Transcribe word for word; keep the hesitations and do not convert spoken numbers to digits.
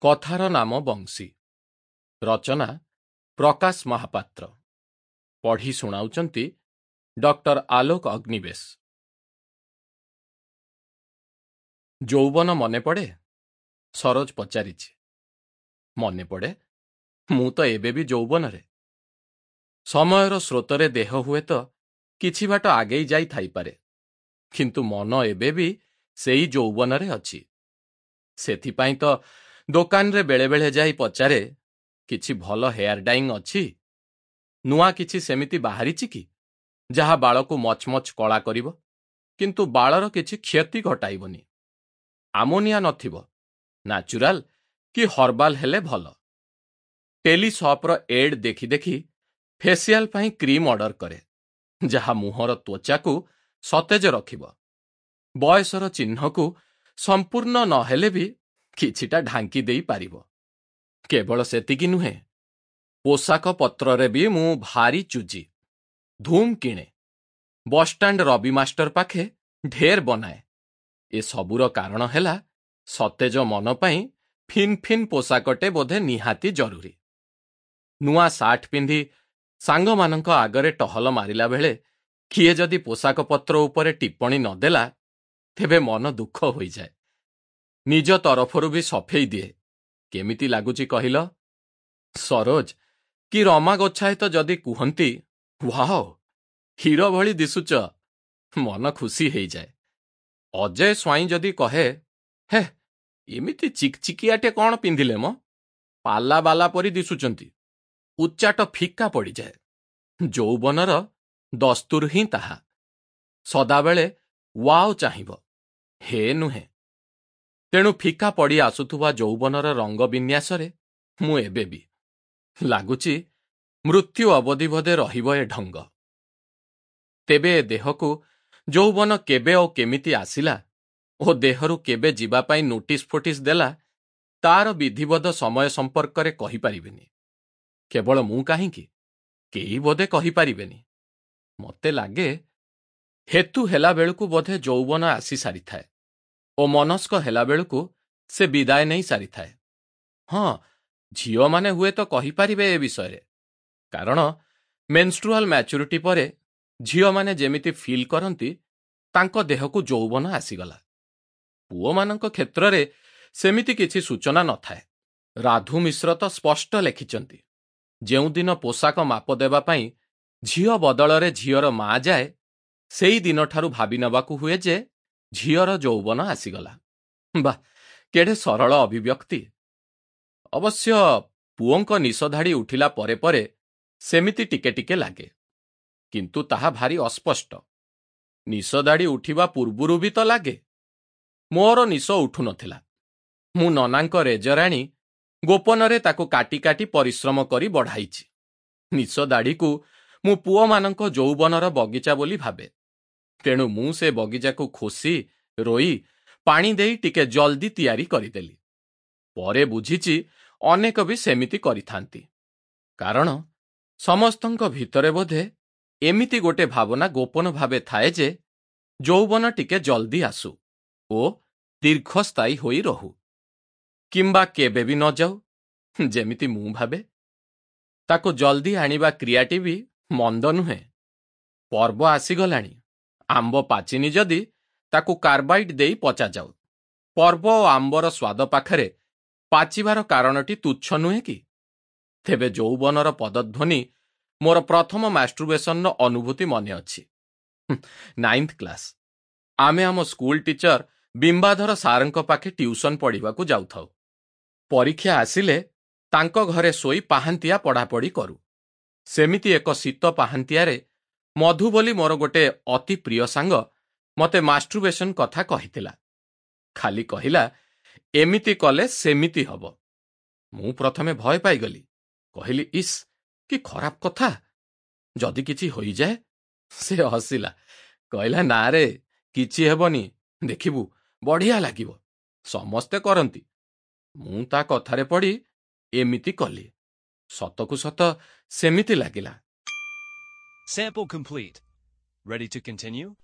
କଥାର ନାମ ବଂଶୀ ରଚନା ପ୍ରକାଶ ମହାପାତ୍ର ପଢ଼ି ଶୁଣାଉଛନ୍ତି ଡକ୍ଟର ଆଲୋକ ଅଗ୍ନିବେଶ ଯୌବନ ମନେ ପଡ଼େ ସରୋଜ ପଚାରିଛି ମନେ ପଡ଼େ ମୁଁ ତ ଏବେ ବି ଯୌବନରେ ସମୟର ସ୍ରୋତରେ ଦେହ ହୁଏତ କିଛି ବାଟ ଆଗେଇ ଯାଇ ଥାଇପାରେ କିନ୍ତୁ ମନ ଏବେ ବି ସେଇ ଯୌବନରେ ଅଛି ସେଥିପାଇଁ ତ ଦୋକାନରେ ବେଳେବେଳେ ଯାଇ ପଚାରେ କିଛି ଭଲ ହେୟାର ଡାଇଂ ଅଛି ନୂଆ କିଛି ସେମିତି ବାହାରିଛି କି ଯାହା ବାଳକୁ ମଚମଚ କଳା କରିବ କିନ୍ତୁ ବାଳର କିଛି କ୍ଷତି ଘଟାଇବନି ଆମୋନିଆ ନଥିବ ନ୍ୟାଚୁରାଲ କି ହର୍ବାଲ ହେଲେ ଭଲ ଟେଲିସପ୍ର ଏଡ୍ ଦେଖି ଦେଖି ଫେସିଆଲ ପାଇଁ କ୍ରିମ୍ ଅର୍ଡର କରେ ଯାହା ମୁହଁର ତ୍ୱଚାକୁ ସତେଜ ରଖିବ ବୟସର ଚିହ୍ନକୁ ସମ୍ପୂର୍ଣ୍ଣ ନହେଲେ ବି କିଛିଟା ଢାଙ୍କି ଦେଇପାରିବ କେବଳ ସେତିକି ନୁହେଁ ପୋଷାକ ପତ୍ରରେ ବି ମୁଁ ଭାରି ଚୁଜି ଧୁମ୍ କିଣେ ବସଷ୍ଟାଣ୍ଡ ରବି ମାଷ୍ଟର ପାଖେ ଢେର ବନାଏ ଏ ସବୁର କାରଣ ହେଲା ସତେଜ ମନ ପାଇଁ ଫିନ୍ ଫିନ୍ ପୋଷାକଟେ ବୋଧେ ନିହାତି ଜରୁରୀ ନୂଆ ସାର୍ଟ ପିନ୍ଧି ସାଙ୍ଗମାନଙ୍କ ଆଗରେ ଟହଲ ମାରିଲା ବେଳେ କିଏ ଯଦି ପୋଷାକ ପତ୍ର ଉପରେ ଟିପ୍ପଣୀ ନଦେଲା ତେବେ ମନ ଦୁଃଖ ହୋଇଯାଏ ନିଜ ତରଫରୁ ବି ସଫେଇ ଦିଏ କେମିତି ଲାଗୁଛି କହିଲ ସରୋଜ କି ରମା ଗୋଛାୟତ ଯଦି କୁହନ୍ତି ୱାଓ ହିରୋ ଭଳି ଦିଶୁଚ ମନ ଖୁସି ହେଇଯାଏ ଅଜୟ ସ୍ୱାଇଁ ଯଦି କହେ ହେ ଏମିତି ଚିକଚିକିଆଟେ କ'ଣ ପିନ୍ଧିଲେ ମ ପାଲା ବାଲା ପରି ଦିଶୁଛନ୍ତି ଉଚ୍ଚାଟ ଫିକା ପଡ଼ିଯାଏ ଯୌବନର ଦସ୍ତୁର ହିଁ ତାହା ସଦାବେଳେ ୱାଓ ଚାହିଁବ ହେ ନୁହେଁ ତେଣୁ ଫିକା ପଡ଼ି ଆସୁଥିବା ଯୌବନର ରଙ୍ଗ ବିନ୍ୟାସରେ ମୁଁ ଏବେ ବି ଲାଗୁଛି ମୃତ୍ୟୁ ଅବଧି ବୋଧେ ରହିବ ଏ ଢଙ୍ଗ ତେବେ ଏ ଦେହକୁ ଯୌବନ କେବେ ଓ କେମିତି ଆସିଲା ଓ ଦେହରୁ କେବେ ଯିବା ପାଇଁ ନୋଟିସ ଫୋଟିସ ଦେଲା ତାର ବିଧିବଦ୍ଧ ସମୟ ସମ୍ପର୍କରେ କହିପାରିବିନି କେବଳ ମୁଁ କାହିଁକି କେହି ବୋଧେ କହିପାରିବେନି ମୋତେ ଲାଗେ ହେତୁ ହେଲା ବେଳକୁ ବୋଧେ ଯୌବନ ଆସି ସାରିଥାଏ ଓ ମନସ୍କ ହେଲା ବେଳକୁ ସେ ବିଦାୟ ନେଇ ସାରିଥାଏ ହଁ ଝିଅମାନେ ହୁଏତ କହିପାରିବେ ଏ ବିଷୟରେ କାରଣ ମେନ୍ଷ୍ଟ୍ରୁଆଲ ମ୍ୟାଚୁରିଟି ପରେ ଝିଅମାନେ ଯେମିତି ଫିଲ୍ କରନ୍ତି ତାଙ୍କ ଦେହକୁ ଯୌବନ ଆସିଗଲା ପୁଅମାନଙ୍କ କ୍ଷେତ୍ରରେ ସେମିତି କିଛି ସୂଚନା ନଥାଏ ରାଧୁ ମିଶ୍ର ତ ସ୍ପଷ୍ଟ ଲେଖିଛନ୍ତି ଯେଉଁଦିନ ପୋଷାକ ମାପ ଦେବା ପାଇଁ ଝିଅ ବଦଳରେ ଝିଅର ମା ଯାଏ ସେଇ ଦିନଠାରୁ ଭାବି ନେବାକୁ ହୁଏ ଯେ ଝିଅର ଯୌବନ ଆସିଗଲା ବାଃ କେଡ଼େ ସରଳ ଅଭିବ୍ୟକ୍ତି ଅବଶ୍ୟ ପୁଅଙ୍କ ନିଶଧାଡ଼ି ଉଠିଲା ପରେ ପରେ ସେମିତି ଟିକେ ଟିକେ ଲାଗେ କିନ୍ତୁ ତାହା ଭାରି ଅସ୍ପଷ୍ଟ ନିଶଦାଢ଼ି ଉଠିବା ପୂର୍ବରୁ ବି ତ ଲାଗେ ମୋର ନିଶ ଉଠୁନଥିଲା ମୁଁ ନନାଙ୍କ ରେଜରାଣୀ ଗୋପନରେ ତାକୁ କାଟି କାଟି ପରିଶ୍ରମ କରି ବଢ଼ାଇଛି ନିଶ ଦାଢ଼ିକୁ ମୁଁ ପୁଅମାନଙ୍କ ଯୌବନର ବଗିଚା ବୋଲି ଭାବେ ତେଣୁ ମୁଁ ସେ ବଗିଚାକୁ ଖୋସି ରୋଇ ପାଣି ଦେଇ ଟିକେ ଜଲ୍ଦି ତିଆରି କରିଦେଲି ପରେ ବୁଝିଛି ଅନେକ ବି ସେମିତି କରିଥାନ୍ତି କାରଣ ସମସ୍ତଙ୍କ ଭିତରେ ବୋଧେ ଏମିତି ଗୋଟେ ଭାବନା ଗୋପନ ଭାବେ ଥାଏ ଯେ ଯୌବନ ଟିକେ ଜଲ୍ଦି ଆସୁ ଓ ଦୀର୍ଘସ୍ଥାୟୀ ହୋଇ ରହୁ କିମ୍ବା କେବେ ବି ନ ଯାଉ ଯେମିତି ମୁଁ ଭାବେ ତାକୁ ଜଲ୍ଦି ଆଣିବା କ୍ରିୟାଟି ବି ମନ୍ଦ ନୁହେଁ ପର୍ବ ଆସିଗଲାଣି ଆମ୍ବ ପାଚିନି ଯଦି ତାକୁ କାର୍ବାଇଡ୍ ଦେଇ ପଚାଯାଉ ପର୍ବ ଓ ଆମ୍ବର ସ୍ୱାଦ ପାଖରେ ପାଚିବାର କାରଣଟି ତୁଚ୍ଛ ନୁହେଁ କି ତେବେ ଯୌବନର ପଦଧ୍ୱନି ମୋର ପ୍ରଥମ ମାଷ୍ଟ୍ରୁବେସନର ଅନୁଭୂତି ମନେ ଅଛି ନାଇନ୍ଥ କ୍ଲାସ୍ ଆମେ ଆମ ସ୍କୁଲ ଟିଚର ବିମ୍ବାଧର ସାରଙ୍କ ପାଖେ ଟ୍ୟୁସନ ପଢ଼ିବାକୁ ଯାଉଥାଉ ପରୀକ୍ଷା ଆସିଲେ ତାଙ୍କ ଘରେ ଶୋଇ ପାହାନ୍ତିଆ ପଢ଼ାପଢ଼ି କରୁ ସେମିତି ଏକ ଶୀତ ପାହାନ୍ତିଆରେ ମଧୁ ବୋଲି ମୋର ଗୋଟେ ଅତି ପ୍ରିୟ ସାଙ୍ଗ ମୋତେ ମାଷ୍ଟ୍ରୁବେସନ କଥା କହିଥିଲା ଖାଲି କହିଲା ଏମିତି କଲେ ସେମିତି ହବ ମୁଁ ପ୍ରଥମେ ଭୟ ପାଇଗଲି କହିଲି ଇସ୍ କି ଖରାପ କଥା ଯଦି କିଛି ହୋଇଯାଏ ସେ ହସିଲା କହିଲା ନା ରେ କିଛି ହେବନି ଦେଖିବୁ ବଢ଼ିଆ ଲାଗିବ ସମସ୍ତେ କରନ୍ତି ମୁଁ ତା କଥାରେ ପଡ଼ି ଏମିତି କଲି ସତକୁ ସତ ସେମିତି ଲାଗିଲା Sample complete. Ready to continue?